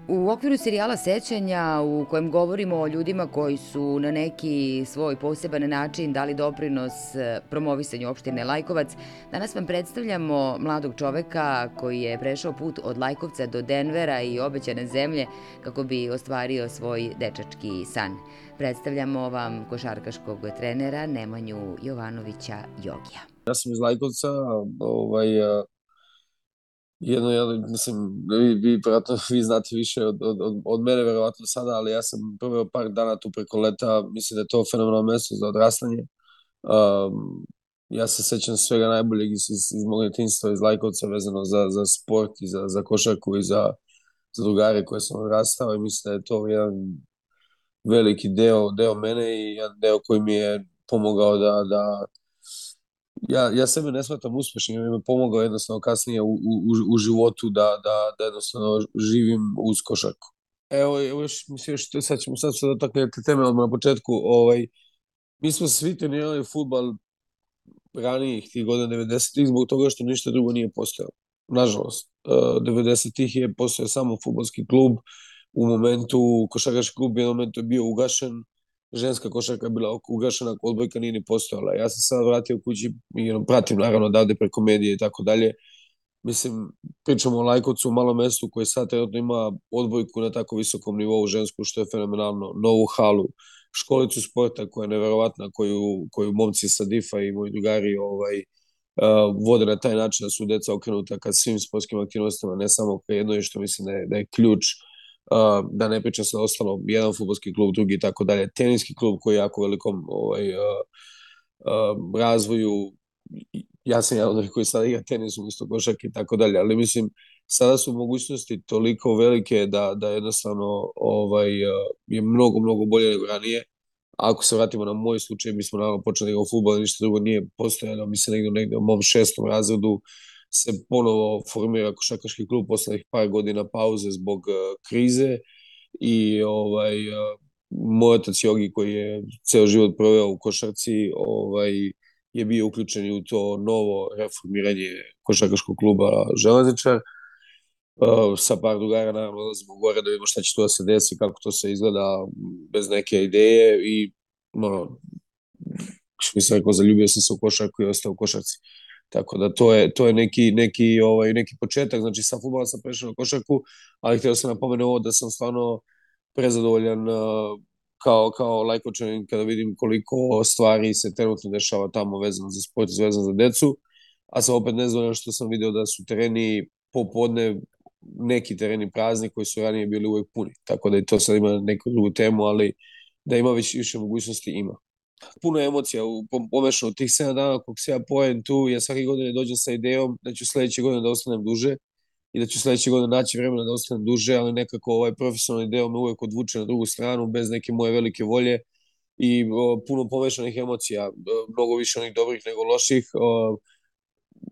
U okviru serijala Sećanja, u kojem govorimo o ljudima koji su na neki svoj poseban način dali doprinos promovisanju opštine Lajkovac, danas vam predstavljamo mladog čoveka koji je prešao put od Lajkovca do Denvera i obećane zemlje kako bi ostvario svoj dečački san. Predstavljamo vam košarkaškog trenera Nemanju Jovanovića Jogija. Ja sam iz Lajkovca, mislim, vi znate više od mene, verovatno sada, ali ja sam proveo par dana tu preko leta, mislim da je to fenomenalno mesto za odrastanje. Ja se sećam svega najboljeg iz mog djetinjstva, iz Lajkovca, vezano za sport i za košarku i za drugare koje sam odrastao, i mislim da je to jedan veliki deo mene i jedan deo koji mi je pomogao da ja sebe ne shvatam uspešnim, jer mi je pomogao jednostavno kasnije u životu da jednostavno živim uz košarku. Evo još, mislim, sad ću dotaknuti teme odmah na početku. Mi smo svi trenirali fudbal ranijih tih godina 90-ih zbog toga što ništa drugo nije postojalo. Nažalost, 90-ih je postojao samo fudbalski klub, u momentu košarkaški klub je momentu bio ugašen, ženska košarka je bila ugašena, odbojka nije ni postojala. Ja sam sad vratio kući i pratim naravno odavde preko medije i tako dalje. Mislim, pričamo o Lajkovcu, malom mestu koji sad trenutno ima odbojku na tako visokom nivou žensku, što je fenomenalno, novu halu, školicu sporta koja je neverovatna, koju momci sa DIF-a i moji drugari vode na taj način da su deca okrenuta ka svim sportskim aktivnostima, ne samo ka jednoj, što mislim da je ključ, da ne pričam se ostalo, jedan fudbalski klub, drugi i tako dalje, teniski klub koji je jako velikom razvoju. Ja sam jedan od onih koji sada igra tenis umjesto košarke i tako dalje, ali mislim, sada su mogućnosti toliko velike da jednostavno je mnogo bolje nego ranije. Ako se vratimo na moj slučaj, mi smo naravno počeli da igramo fudbal, ništa drugo nije postojalo. Mi se negde u mom 6. razredu se ponovo formira košarkaški klub posle par godina pauze zbog krize, i moj otac Jogi, koji je ceo život proveo u košarci, je bio uključen u to novo reformiranje košarkaškog kluba Železničar. Sa par drugara naravno odlazimo gore da vidimo šta će tu da se desi, kako to se izgleda bez neke ideje, i što mi se rekao, zaljubio sam se u košarku i ostao u košarci. Tako da to je neki početak, znači sa fudbala sam prešao na košarku, ali htio sam napomenu ovo da sam stvarno prezadovoljan kao Lajkovčanin kada vidim koliko stvari se trenutno dešava tamo vezano za sport i vezano za decu, a sam opet nezadovoljan što sam video da su tereni popodne, neki tereni prazni koji su ranije bili uvek puni, tako da i to sad ima neku drugu temu, ali da ima više mogućnosti, ima. Puno emocija pomešano u tih 7 dana kog se ja pojem tu. Ja svake godine dođem sa idejom da ću sledeće godine da ostanem duže i da ću sledeće godine naći vremena da ostanem duže, ali nekako ovaj profesionalni deo me uvek odvuče na drugu stranu bez neke moje velike volje i puno pomešanih emocija, mnogo više onih dobrih nego loših.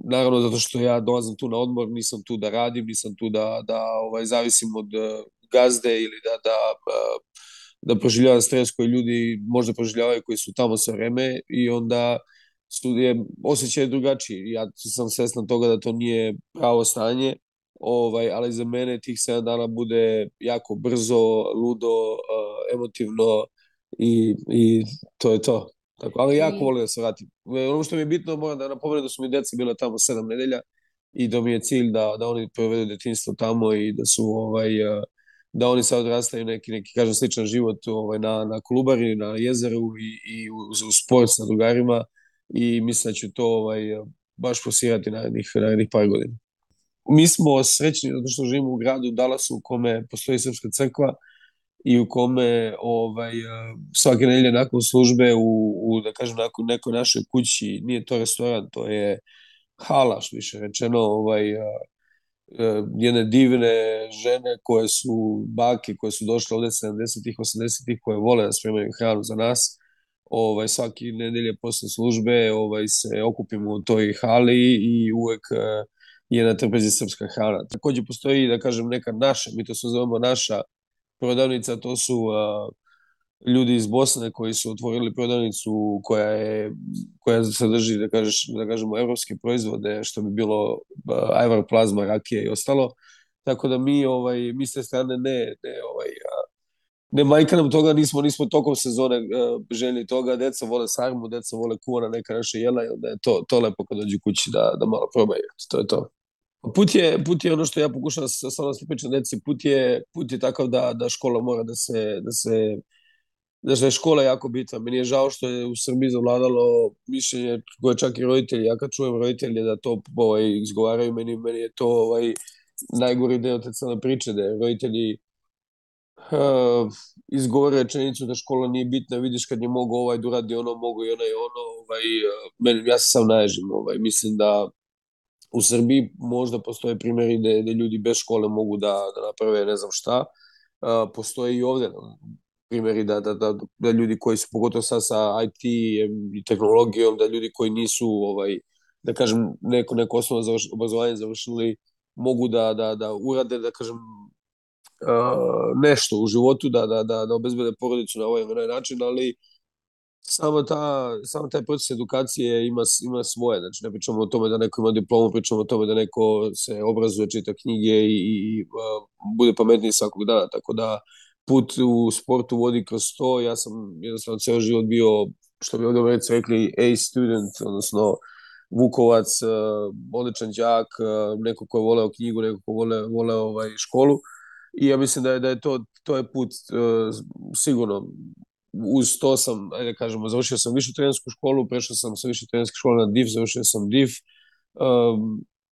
Naravno, zato što ja dolazim tu na odmor, nisam tu da radim, nisam tu da zavisim od gazde ili da proživljavam stres koji ljudi možda proživljavaju koji su tamo sve vreme, i onda je osjećaj drugačiji. Ja sam svestan toga da to nije pravo stanje, ali za mene tih 7 dana bude jako brzo, ludo, emotivno, i to je to. Tako, ali jako volim da se vratim. Ono što mi je bitno, moram da napomenem da su mi deca bila tamo 7 nedelja i da mi je cilj da oni provedu detinjstvo tamo i da oni sad odrastaju neki kažem, sličan život na Kolubari, na jezeru i u sport sa drugarima, i mislim da ću to baš posirati narednih par godina. Mi smo srećni zato što živimo u gradu Dallasu u kome postoji srpska crkva i u kome svake nedelje nakon službe da kažem, nakon nekoj našoj kući, nije to restoran, to je hala, što više rečeno, jedne divne žene koje su bake, koje su došle ovde 70-ih, 80-ih, koje vole da spremaju hranu za nas. Svake nedelje posle službe se okupimo u toj hali i uvek je na trpezi srpska hrana. Takođe postoji, da kažem, neka naša, mi to se zovemo naša prodavnica, to su ljudi iz Bosne koji su otvorili prodavnicu koja sadrži, da kažemo, evropske proizvode, što bi bilo ajvar, plazma, rakija i ostalo. tako da mi s te strane ne manjka nam toga, nismo tokom sezone željeli toga, deca vole sarmu, deca vole kuvana neka naša jela i onda je to lepo kad dođu kući da malo probaju, to je to. Put je ono što ja pokušavam stvarno da pričam deci, put je takav da škola mora da je škola jako bitna. Meni je žao što je u Srbiji zavladalo mišljenje koje čak i roditelji, ja kad čujem roditelje da to izgovaraju, meni je to najgori deo te cele priče, da je roditelji izgovore rečenicu da škola nije bitna, vidiš kad je mogo da uradi ono, mogo i ono, ja se sam naježim, mislim da u Srbiji možda postoje primjeri gde ljudi bez škole mogu da naprave ne znam šta, postoje i ovde primjeri da ljudi koji su, pogotovo sad sa IT i tehnologijom, da ljudi koji nisu, da kažem, neko osnovno obrazovanje završili, mogu da urade, da kažem, nešto u životu, da obezbede porodicu na ovaj način, ali samo taj proces edukacije ima svoje. Znači, ne pričamo o tome da neko ima diplomu, pričamo o tome da neko se obrazuje, čita knjige i bude pametniji svakog dana. Tako da put u sportu vodi kroz to. Ja sam jednostavno ceo život bio, što bi ovdje u Americi rekli, A student, odnosno Vukovac, odličan đak, neko ko je voleo knjigu, neko ko voleo školu. I ja mislim da je to je put sigurno. Uz to sam, ajde kažemo, završio sam višu trenersku školu, prešao sam sa više trenerske škole na DIF, završio sam DIF,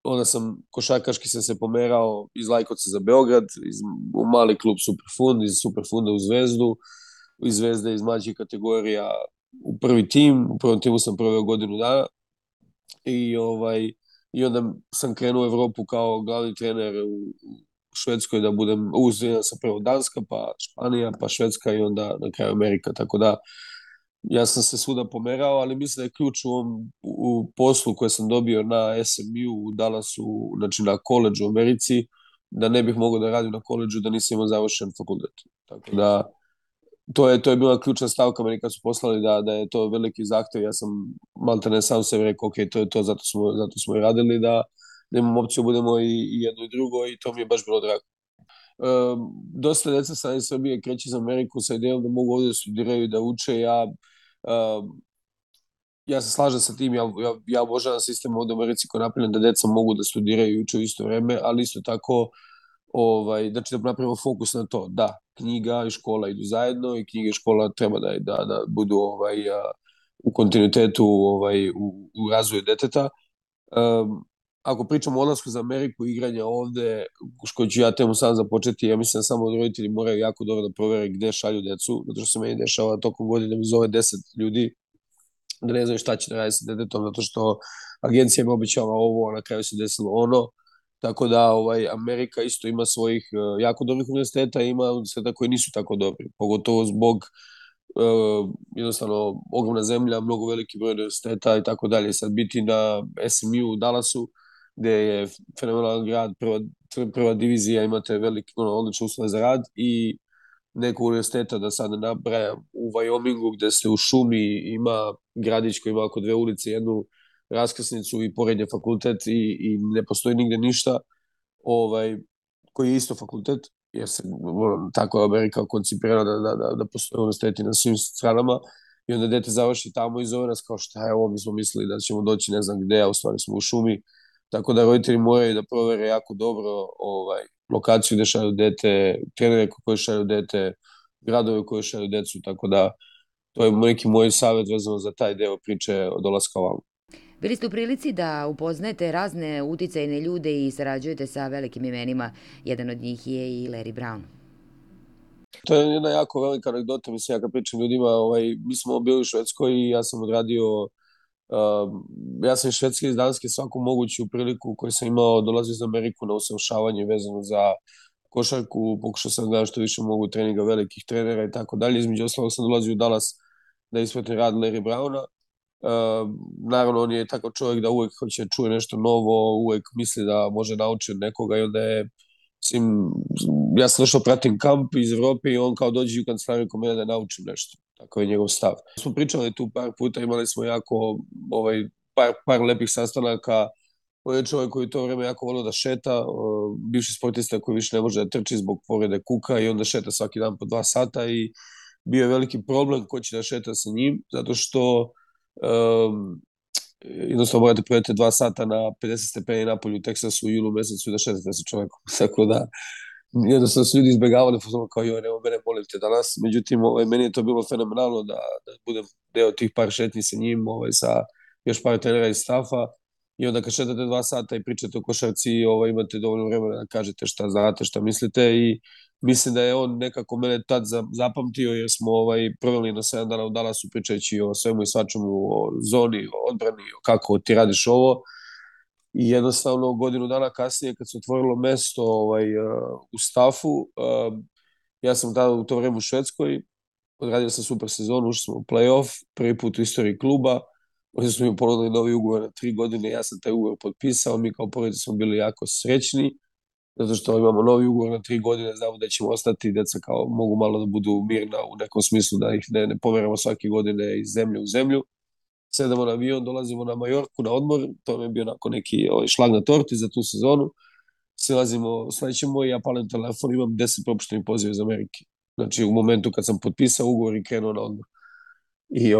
onda sam košarkaški se pomerao iz Lajkovca za Beograd, u mali klub Superfund, iz Superfunda u Zvezdu, iz Zvezde iz mlađih kategorija u prvi tim, u prvom timu sam proveo godinu dana i onda sam krenuo u Evropu kao glavni trener u Švedskoj da budem, uzvijem sam prvo Danska, pa Španija, pa Švedska i onda na kraju Amerika, tako da ja sam se svuda pomerao, ali mislim da je ključ u poslu koje sam dobio na SMU u Dallasu, znači na koleđu u Americi, da ne bih mogao da radim na koleđu da nisam imao završen fakultet. Tako da to je bila ključna stavka meni kad su poslali da je to veliki zahtev. Ja sam maltene sam sebi rekao, ok, to je to, zato smo i radili, da imamo opciju, budemo i jedno i drugo i to mi je baš bilo drago. Dosta deca sa iz Srbije kreće za Ameriku sa idejom da mogu ovde da studiraju i da uče. Ja se slažem sa tim, ja obožavam sistem ovde u Americi koji je napravljen da deca mogu da studiraju i uče u isto vreme, ali isto tako znači da napravimo fokus na to. Da, knjiga i škola idu zajedno i knjiga i škola treba da budu u kontinuitetu u razvoju deteta. Ako pričamo o odlasku za Ameriku i igranja ovde, što ću ja temu sam započeti, ja mislim da samo roditelji moraju jako dobro da provere gde šalju decu, zato što se meni dešava tokom godine mi zove 10 ljudi da ne znaju šta će da radi sa detetom, zato što agencija mi običava ovo, a na kraju se desilo ono. Tako da Amerika isto ima svojih jako dobrih univerziteta i ima univerziteta koji nisu tako dobri, pogotovo zbog jednostavno ogromna zemlja, mnogo veliki broj univerziteta i tako dalje. Sad biti na SMU u Dallasu, gde je fenomenalan grad, prva divizija, imate velike, odlične uslove za rad i nekog univerziteta, da sad ne nabrajam, u Wyomingu, gde se u šumi ima gradić koji ima oko 2 ulice, jednu raskrsnicu i pored je fakultet i ne postoji nigde ništa, koji je isto fakultet, jer se tako je Amerika koncipirana da postoje univerziteti na svim stranama i onda dete završi tamo i zove nas kao šta je ovo, mi smo mislili da ćemo doći ne znam gde, a u stvari smo u šumi, tako da roditelji moraju da provere jako dobro lokaciju gde šalju dete, trenere koji šalju dete, gradove koji šalju decu, tako da to je neki moj savjet vezano za taj deo priče od dolaska ovamo. Bili ste u prilici da upoznajete razne uticajne ljude i sarađujete sa velikim imenima. Jedan od njih je i Larry Brown. To je jedna jako velika anegdota, mislim, ja kad pričam ljudima, mi smo bili u Švedskoj i ja sam odradio, ja sam iz Švedske iz Danske svaku moguću priliku koju sam imao, dolazio za Ameriku na usavršavanje vezano za košarku, pokušao sam da što više mogu treninga velikih trenera i tako dalje. Između ostalog sam dolazio u Dallas da ispratim rad Larry Browna. Naravno, on je takav čovjek da uvek hoće čuje nešto novo, uvek misli da može naučiti od nekoga i onda je, ja sam došao pratim kamp iz Evrope i on kao dođe u kancelariju kod mene da naučim nešto. Tako je njegov stav. Smo pričali tu par puta, imali smo jako par lepih sastanaka, On je čovjek koji to vreme jako volio da šeta, bivši sportista koji više ne može da trči zbog povrede kuka i onda šeta svaki dan po 2 sata i bio je veliki problem ko će da šeta sa njim, zato što jednostavno morate provedete 2 sata na 50 stepeni napolju u Teksasu u julu mesecu i da šetate sa čovjekom. Tako da jednostavno su ljudi izbegavali kao joj, nema mene, molim te danas. Međutim, meni je to bilo fenomenalno da budem deo tih par šetnji sa njim, sa još par trenera iz stafa. I onda kad šetate 2 sata i pričate o košarci, imate dovoljno vremena da kažete šta znate, šta mislite i mislim da je on nekako mene tad zapamtio jer smo proveli na 7 dana u Dallasu pričajući o svemu i svačemu, o zoni, o odbrani, o kako ti radiš ovo. I jednostavno godinu dana kasnije kad se otvorilo mesto u stafu, ja sam tada u to vreme u Švedskoj, odradio sam super sezonu, ušli smo u play-off, prvi put u istoriji kluba, oni su mi ponudili novi ugovor na 3 godine, ja sam taj ugovor potpisao, mi kao porodica smo bili jako srećni, zato što imamo novi ugovor na 3 godine, znamo da ćemo ostati, deca kao mogu malo da budu mirna u nekom smislu, da ih ne pomeramo svake godine iz zemlje u zemlju. Sedamo na avion, dolazimo na Majorku na odmor, to mi je bio onako neki šlag na torti za tu sezonu. Silazimo, slećemo i ja palim telefon, imam 10 propuštenih poziva iz Amerike. Znači u momentu kad sam potpisao ugovor i krenuo na odmor. I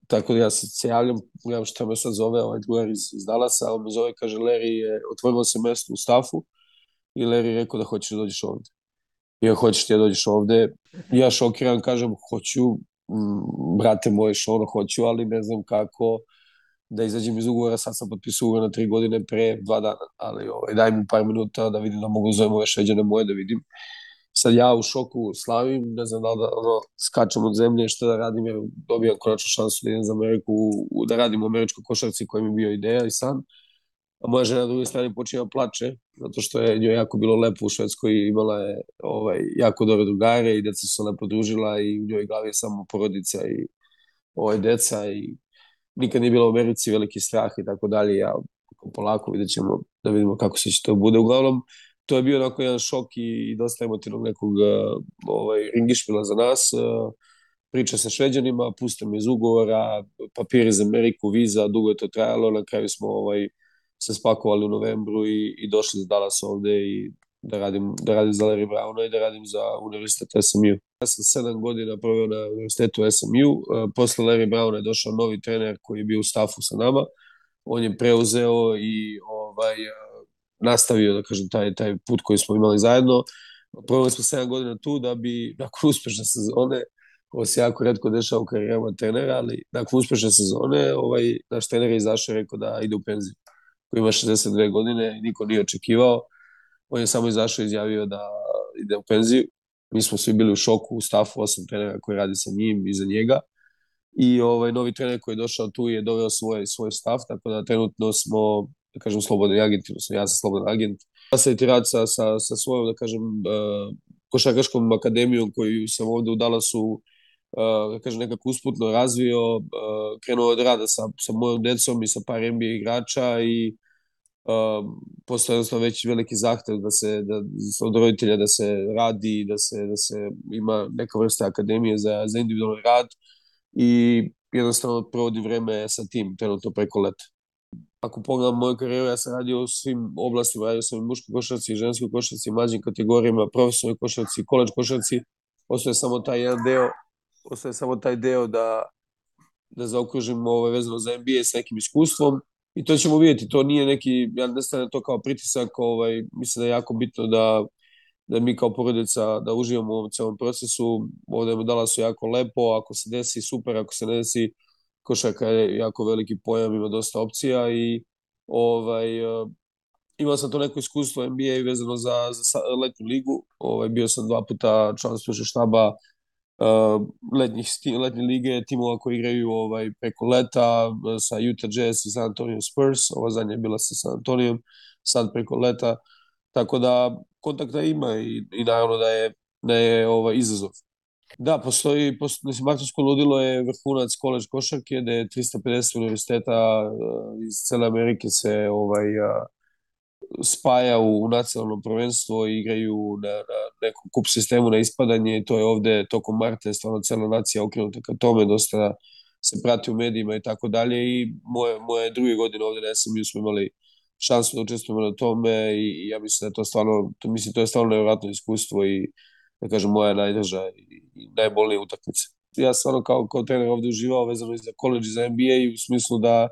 tako da ja se javljam, gledam šta me sad zove, drugar iz Dallasa, on me zove, kaže Larry, otvorilo se mesto u stafu i Larry rekao da hoćeš da dođeš ovde. I ja hoćeš ti da dođeš ovde. Ja šokiran kažem, hoću, brate moje, hoću, ali ne znam kako da izađem iz ugovora, sad sam potpisao ugovor na 3 godine pre 2 dana, ali daj mi par minuta da vidim da mogu da zovem ove šeđane moje da vidim. Sad ja u šoku slavim, ne znam da skačem od zemlje, šta da radim, jer dobijam konačno šansu da idem za Ameriku, da radim u američkoj košarci koja mi je bio ideja i san. A moja žena na drugoj strani počinje da plače, zato što je njoj jako bilo lepo u Švedskoj i imala je jako dobre drugare i deca su se lepo družila i u njoj glavi je samo porodica i deca i nikad nije bila u Americi, veliki strah i tako dalje. Ja polako vidjet ćemo da vidimo kako se će to bude. Uglavnom, to je bio onako jedan šok i dosta emotivnog nekog ringišpila za nas. Priča sa Šveđanima, puste me iz ugovora, papiri za Ameriku, viza, dugo je to trajalo, na kraju smo se spakovali u novembru i došli za Dallas ovde i da radim za Larry Browna i da radim za Univerzitet SMU. Ja sam 7 godina proveo na Univerzitetu SMU, posle Larry Browna je došao novi trener koji je bio u stafu sa nama, on je preuzeo i nastavio, da kažem, taj put koji smo imali zajedno. Proveli smo 7 godina tu da bi, nakon uspešne sezone, ovo se jako redko dešava u karijerama trenera, ali nakon uspešne sezone, naš trener je izašao i rekao da ide u penziju. Koji ima 62 godine, niko nije očekivao. On je samo izašao i izjavio da ide u penziju. Mi smo svi bili u šoku, u stafu 8 trenera koji radi sa njim i za njega. I novi trener koji je došao tu je doveo svoj stav, tako da trenutno smo, da kažem, slobodni agenti, odnosno ja sam slobodan agent. Ja sam retirat sa svojom, da kažem, košarkaškom akademijom koju sam ovde u Dallasu, da kažem, nekako usputno razvio, krenuo od rada sa mojom decom i sa par NBA igrača i postoje jednostavno već veliki zahtev od roditelja da se radi, da se ima neka vrsta akademije za individualni rad i jednostavno provodim vreme sa tim, trenutno preko leta. Ako pogledam moju karijeru, ja sam radio u svim oblastima, radio sam i muškoj košarci, ženskoj košarci, mlađim kategorijama, profesionalnoj košarci, koleđ košarci, ostaje samo taj jedan deo, ostaje samo taj deo da zaokružim vezano za NBA s nekim iskustvom i to ćemo vidjeti, to nije neki, ja ne stavljam to kao pritisak, mislim da je jako bitno da mi kao porodica da uživamo u ovom celom procesu, ovde je Dallasu jako lepo, ako se desi super, ako se ne desi, košarka je jako veliki pojam, ima dosta opcija i imao sam to neko iskustvo NBA vezano za letnju ligu, bio sam 2 puta član stručnog štaba letnje lige, timova koji igraju preko leta sa Utah Jazz i San Antonio Spurs, ova zadnja je bila sa San Antonijom, sad preko leta, tako da kontakta ima i naravno da je izazov. Da, postoji, mislim, Martovsko ludilo je vrhunac koleđ košarke, gde je 350 univerziteta iz cele Amerike se spaja u nacionalno prvenstvo i igraju na nekom kup sistemu na ispadanje i to je ovde tokom marta, je stvarno cela nacija okrenuta ka tome, dosta se prati u medijima i tako dalje i moje druge godine ovde na SMU smo imali šansu da učestvujemo na tome i ja mislim da je to stvarno, to je stvarno nevjerojatno iskustvo i da kažem moja najdrža i najbolnija utakmica. Ja stvarno kao trener ovde uživao vezano i za college i za NBA u smislu da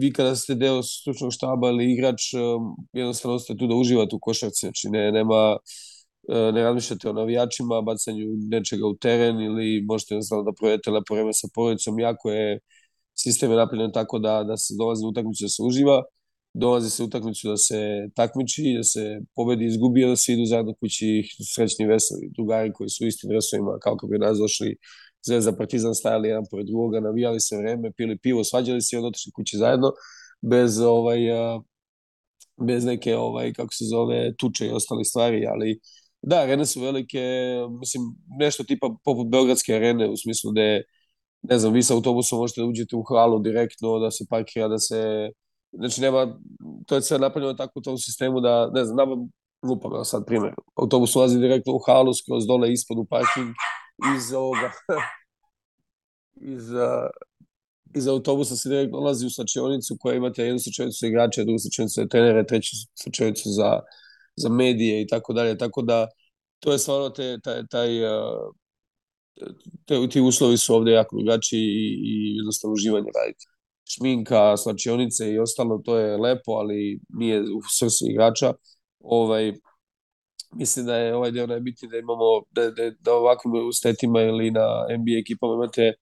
vi kada ste deo stručnog štaba ili igrač, jednostavno ste tu da uživate u košarci, znači ne razmišljate o navijačima, bacanju nečega u teren ili možete jednostavno da provedete lepo vreme sa porodicom, jako je sistem je napravljen tako da se dolazi na utakmicu da se uživa, dolazi se u utakmicu da se takmiči, da se pobedi i izgubi, da se idu zajedno kući srećni veseli drugari koji su u istim dresovima kao kako bi nas došli Zvezda Partizan stajali jedan pored drugoga, navijali se vreme, pili pivo, svađali se i onda otišli kući zajedno bez neke kako se zove tuče i ostale stvari, ali da, arene su velike, mislim nešto tipa poput Beogradske arene u smislu da ne znam, vi sa autobusom možete da uđete u halu direktno, da se parkira, znači nema, to je sve napravljeno tako u tom sistemu da, ne znam, nama lupam sad primjer, autobus ulazi direktno u halu, skroz dole ispod u parking, iz ovoga, iz autobusa se direktno ulazi u slačionicu koja imate jednu slačionicu za igrače, drugu slačionicu za trenere, treću slačionicu za medije i tako dalje, tako da to je stvarno ti uslovi su ovde jako drugačiji i jednostavno uživanje raditi. Šminka, slačionice i ostalo, to je lepo, ali nije u srcu igrača. Mislim da je ovaj deo najbitniji da imamo, da ovakvim ustetima ili na NBA ekipama imate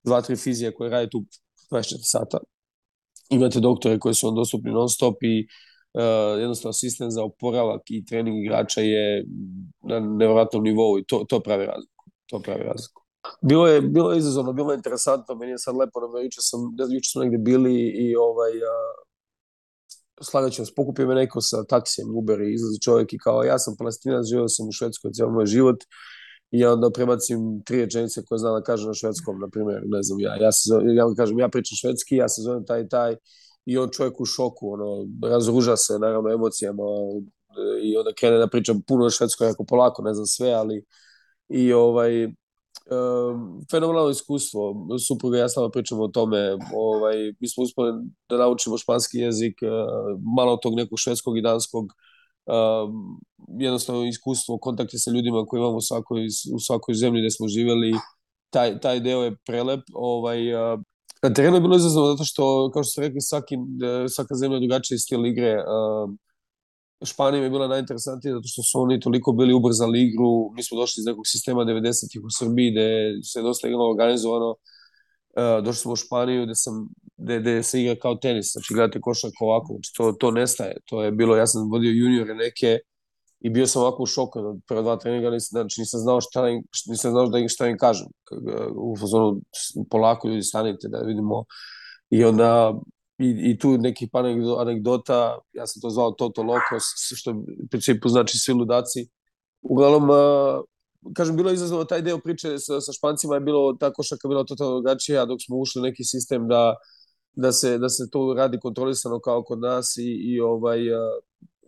2-3 fizije koje rade tu 24 sata. Imate doktore koji su vam dostupni non stop i jednostavno sistem za oporavak i trening igrača je na nevjerojatnom nivou i to pravi razliku. Bilo je izazovno, bilo je interesantno, meni je sad lepo, juče smo negde bili i slagat ću vas, pokupio me neko sa taksijem, Uber i izlazi čovjek i kao ja sam Palestinac, živio sam u Švedskoj cijel moj život i onda prebacim 3 rečenice koje znam da kažem na švedskom, na primjer, ne znam, ja kažem, ja pričam švedski, ja se zovem taj i on čovjek u šoku, razruža se naravno emocijama i onda krene da pričam puno švedsko, jako polako, ne znam sve, ali i fenomenalno iskustvo, supruga i ja stalno pričamo o tome, mi smo uspeli da naučimo španski jezik, malo tog nekog švedskog i danskog, jednostavno iskustvo, kontakte sa ljudima koje imamo u svakoj zemlji gde smo živeli, taj deo je prelep. Na terenu je bilo izazovno zato što, kao što ste rekli, svaka zemlja je drugačiji stil igre. Španija je bila najinteresantnija zato što su oni toliko bili ubrzali igru. Mi smo došli iz nekog sistema 90-ih u Srbiji gde se dosta igralo organizovano. Došli smo u Španiju gde se igra kao tenis, znači gledate košarku ovako, znači to nestaje. To je bilo, ja sam vodio juniore neke i bio sam ovako u šoku na prva 2 treninga, znači nisam znao šta im kažem. U fazonu polako ljudi stanite da vidimo i onda i tu nekih anegdota, ja sam to zvao Toto Lokos, što u principu znači svi ludaci. Uglavnom, kažem, bilo je izazovno taj deo priče sa Špancima, je bilo, ta košarka bila totalno drugačija, dok smo ušli u neki sistem da se to radi kontrolisano kao kod nas i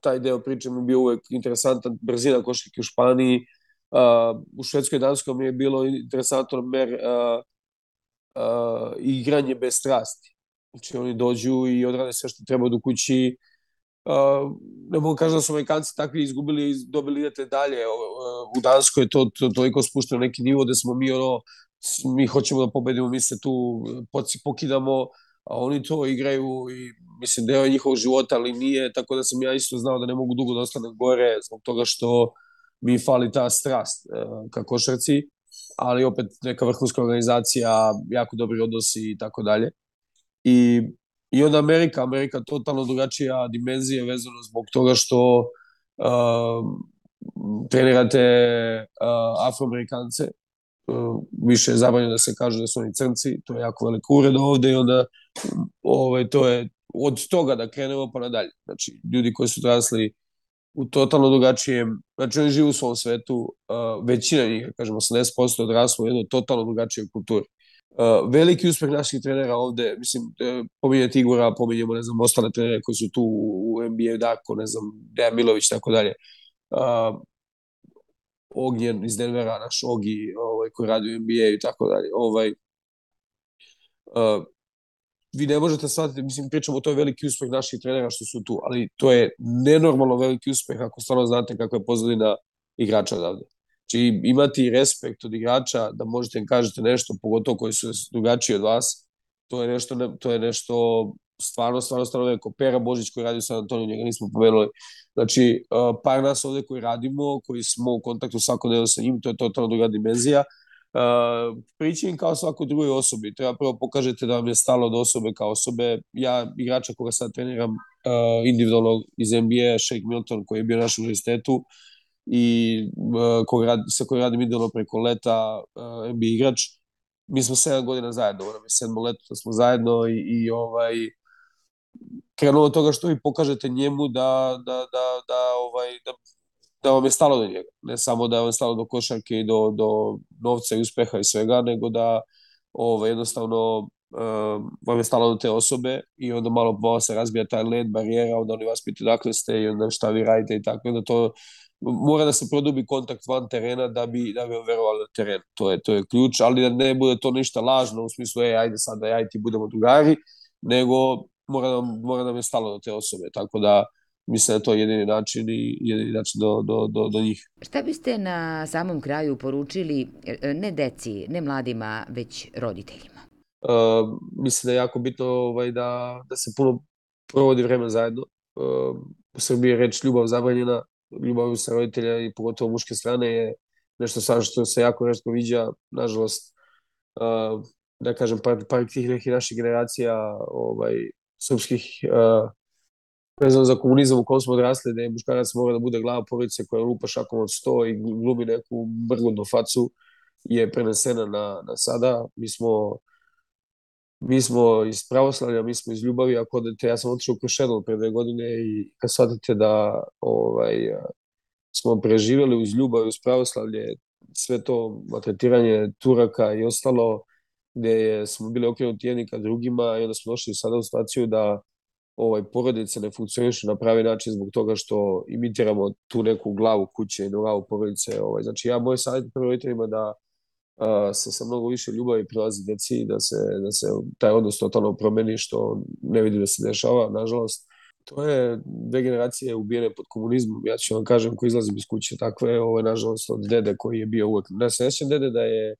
taj deo priče mi je bio uvek interesantan, brzina košarke u Španiji, u Švedskoj i Danskoj mi je bilo interesantno igranje bez strasti. Znači oni dođu i odrade sve što treba do kući. Ne mogu kažem da su Amerikanci takvi izgubili i dobili idete dalje. U Danskoj je to toliko spušteno neki nivo da smo mi hoćemo da pobedimo, mi se tu pokidamo, a oni to igraju i mislim deo je njihovog života, ali nije, tako da sam ja isto znao da ne mogu dugo da ostanem gore zbog toga što mi fali ta strast ka košarci, ali opet neka vrhunska organizacija, jako dobri odnosi i tako dalje. I onda Amerika totalno drugačija dimenzija vezano zbog toga što trenirate Afroamerikance, više je zabranjeno da se kaže da su oni crnci, to je jako velika uvreda ovde i onda to je od toga da krenemo pa nadalje. Znači, ljudi koji su odrasli u totalno drugačijem, znači oni žive u svom svetu, većina njih, kažemo 80% odraslo u jednoj totalno drugačijoj kulturi. Veliki uspeh naših trenera ovde, mislim, pominjati Igora, pominjamo, ne znam, ostale trenere koji su tu u NBA, Darko, ne znam, Dejan Milović, tako dalje. Ognjen iz Denvera, naš Ogi, koji radi u NBA i tako dalje. Vi ne možete shvatiti, mislim, pričamo, to je veliki uspeh naših trenera što su tu, ali to je nenormalno veliki uspeh ako stvarno znate kako je pozadina igrača odavde. Znači, imati respekt od igrača da možete im kažete nešto, pogotovo koji su drugačiji od vas, to je nešto stvarno veliko. Pera Božić koji radi u San Antoniju, njega nismo pomenuli. Znači, par nas ovde koji radimo, koji smo u kontaktu svakodnevno sa njim, to je totalno druga dimenzija. Prići im kao svakoj drugoj osobi. Treba prvo pokažete da vam je stalo od osobe kao osobe. Ja, igrača koga sad treniram individualno iz NBA, Shake Milton, koji je bio na našem univerzitetu i sa kojim radim individualno preko leta, NBA igrač. Mi smo 7 godina zajedno, nam je 7. leto da smo zajedno i krenuo od toga što vi pokažete njemu da vam je stalo do njega. Ne samo da vam je stalo do košarke i do novca i uspeha i svega, nego da jednostavno vam je stalo do te osobe i onda malo se razbija taj led, barijera, onda oni vas pitaju dakle ste i onda šta vi radite i tako. Onda to mora da se produbi kontakt van terena da bi verovali na teren. To je ključ, ali da ne bude to ništa lažno u smislu, ajde sad da ja i ti budemo drugari, nego mora da me stalo do te osobe. Tako da mislim da je to jedini način do njih. Šta biste na samom kraju poručili ne deci, ne mladima, već roditeljima? Mislim da je jako bitno da se puno provodi vreme zajedno. U Srbiji je reč ljubav zabranjena, ljubav sa roditelja i pogotovo muške strane je nešto sad što se jako retko viđa, nažalost, da kažem, par tih nekih naših generacija srpskih vezano za komunizam u kom smo odrasli, da je muškarac mora da bude glava porodice koja lupa šakom od 100 i glumi neku mrgodnu facu, je prenesena na sada. Mi smo iz pravoslavlja, mi smo iz ljubavi, ako odete, ja sam otišao u Krušedol pre 2 godine i kad shvatite da smo preživjeli uz ljubav, uz pravoslavlje, sve to maltretiranje Turaka i ostalo, gde smo bili okrenuti jedni ka drugima i onda smo došli sada u situaciju da porodice ne funkcionišu na pravi način zbog toga što imitiramo tu neku glavu kuće i glavu porodice. Znači, moj savjet prvo roditeljima da se sa mnogo više ljubavi prilazi deci i da se taj odnos totalno promeni, što ne vidim da se dešava, nažalost. To je 2 generacije ubijene pod komunizmom, ja ću vam kažem, ko izlazim iz kuće takve, nažalost od dede koji je bio uvek. Ne se sećam dede da je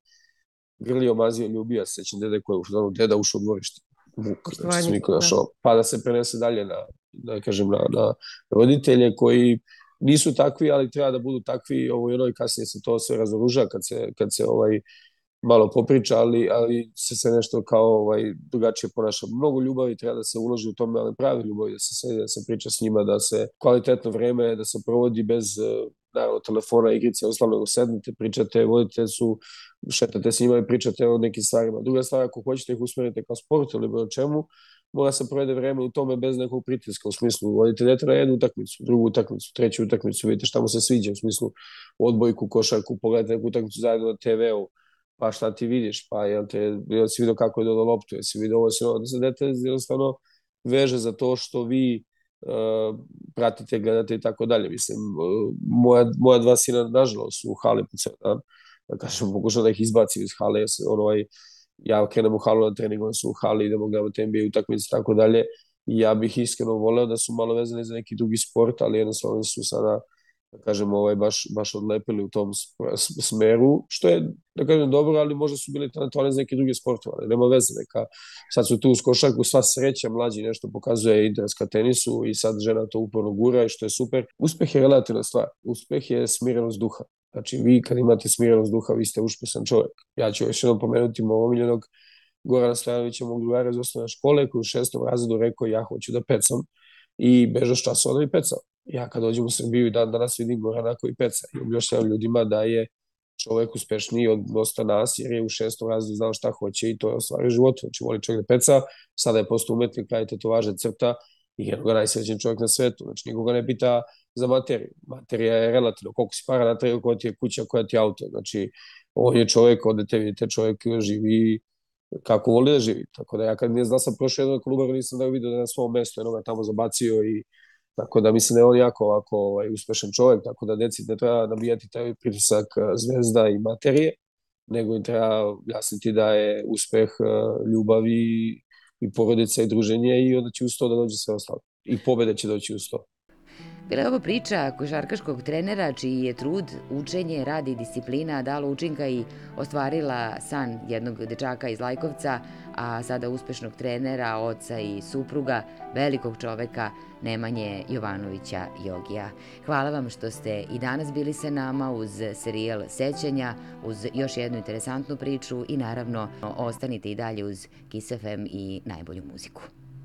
grlio, mazio, ljubio, se sećam dede koji je deda ušao u dvorište. Znači, niko našao, pa da se prenese dalje na roditelje koji nisu takvi, ali treba da budu takvi i kasnije se to sve razoruža kad se malo popriča, ali se nešto kao drugačije ponaša. Mnogo ljubavi treba da se uloži u tome, ali pravi ljubavi, da se sedi, da se priča s njima, da se kvalitetno vreme, da se provodi bez naravno telefona, igrice, oslavno sednite, pričate, vodite su, šetate s njima i pričate o nekim stvarima. Druga stvar, ako hoćete ih usmerite kao sport ili bilo čemu, mora se provede vreme u tome bez nekog pritiska, u smislu vodite dete na jednu utakmicu, drugu utakmicu, treću utakmicu, vidite šta mu se sviđa, u smislu odbojku, košarku, pogledajte neku utakmicu zajedno na TV-u, pa šta ti vidiš, pa jel si vidio kako je dodao loptu, jel si vidio ovo, da se dete jednostavno veže za to što vi pratite, gledate i tako dalje. Mislim, moja 2 sina, nažalost, su u hali po ceo dan, da kažem, pokušam da ih izbacim iz hale, ja krenem u halu na trening, oni su u hali, idemo gledati NBA utakmice i tako dalje, i ja bih iskreno voleo da su malo vezani za neki drugi sport, ali jednostavno su sada, da kažem, baš odlepili u tom smeru, što je, da kažem, dobro, ali možda su bili talentovani za neke druge sportove, ali nema veze, sad su tu uz košarku, sva sreća, mlađi nešto pokazuje interes ka tenisu i sad žena to uporno gura i što je super. Uspeh je relativna stvar, uspeh je smirenost duha. Znači, vi kad imate smirenost duha, vi ste uspešan čovjek. Ja ću još jednom pomenuti mojeg omiljenog Gorana Stojanovića, mog drugara iz osnovne škole, koji u 6. razredu rekao ja hoću da pecam i bežao s časova da bi pecao. Ja kad dođem u Srbiju i danas vidim Gorana koji peca i objašnjavam ljudima da je čovjek uspešniji od dosta nas, jer je u 6. razredu znao šta hoće i to je ostvario život. Znači, voli čovjek da peca, sada je postao umetnik, pravi tetovaže, crta i jednog najsrećen čovjek na svetu. Znači, nikoga ne pita za materiju. Materija je relativno. Koliko si para natreo, koja ti je kuća, koja ti je auto. Znači, on je čovjek, odete, vidite, čovjek živi kako voli da živi. Tako da ja kad ne znam sam prošao jednog kluba, nisam da vidio da je na svom mestu, jednog tamo zabacio i tako da mislim da je on jako ovako uspešan čovjek, tako da deci ne treba nabijati taj pritisak zvezda i materije, nego im treba objasniti da je uspeh ljubav i porodica i druženje i onda će uz to da dođe sve ostalo. I pobeda će doći uz to. Bila je ovo priča košarkaškog trenera čiji je trud, učenje, rad i disciplina dalo učinka i ostvarila san jednog dečaka iz Lajkovca, a sada uspešnog trenera, oca i supruga, velikog čoveka Nemanje Jovanovića Jogija. Hvala vam što ste i danas bili sa nama uz serijal Sećanja, uz još jednu interesantnu priču i naravno ostanite i dalje uz Kiss FM i najbolju muziku.